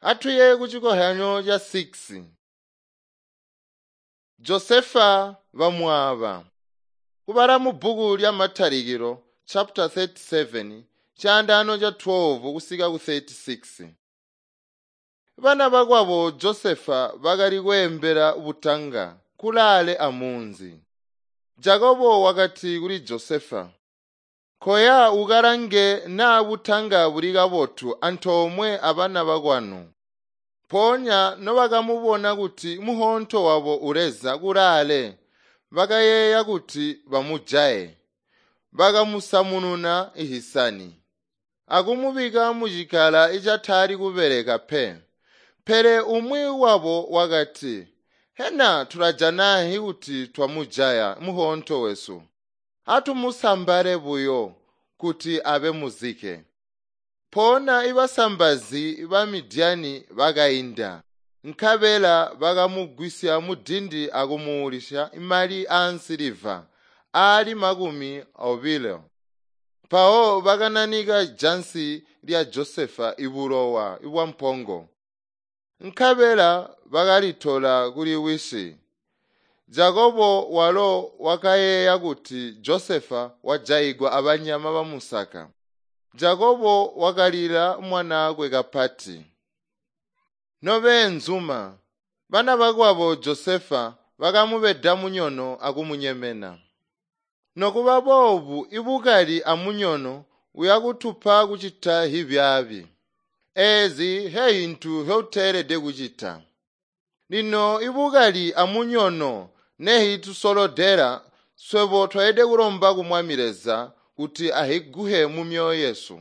Atuye kucikozyanyo ca 6. Josefa bamwaaba. Kubala mu bbuku lya Matalikilo chapter 37 caandaano ca 12 kusika ku 36. Bana bakwabo Josefa bakali kweembela butanga kulaale amunzi. Jakobo wakati kuli Josefa, "Koya ukalange naa butanga buli kabotu antoomwe abana bakwanu." Mpoonya nobakamubona kuti muhonto wabo uleza kulaale, bakayeeya kuti bamujaye. Bakamusamununa ihisani, akumubika mucikala icatali kubeleka pe. Pele umwi wabo wakati, “Hena tulajana kuti twamujaya muhonto wesu? Atumusambale buyo kuti abe muzike.” Mpoona ibasambazi ba Midyani bakainda, nkabela bakamugwisya mudindi akumuulisya mali aansiliva aali 20. Mpawo bakananika jansi lya Josefa ibulowa bwampongo, nkabela bakalitola kuli wisi. Jakobo walo wakayeeya kuti Josefa wajaigwa abanyama bamusaka. Jakobo wakalila mwanaakwe kapati. Nobeenzuma, bana bakwabo Josefa bakamubeda munyono akumunyemena. Nokuba boobu ibukali amunyono uyakutupa kucita hibyaabi. Eezi hehintu hyoteelede kucita. Lino ibukali amunyono nehitusolodela swebo tweelede kulomba ku Mwami Leza kuti ahiguhe mu myoyo yesu.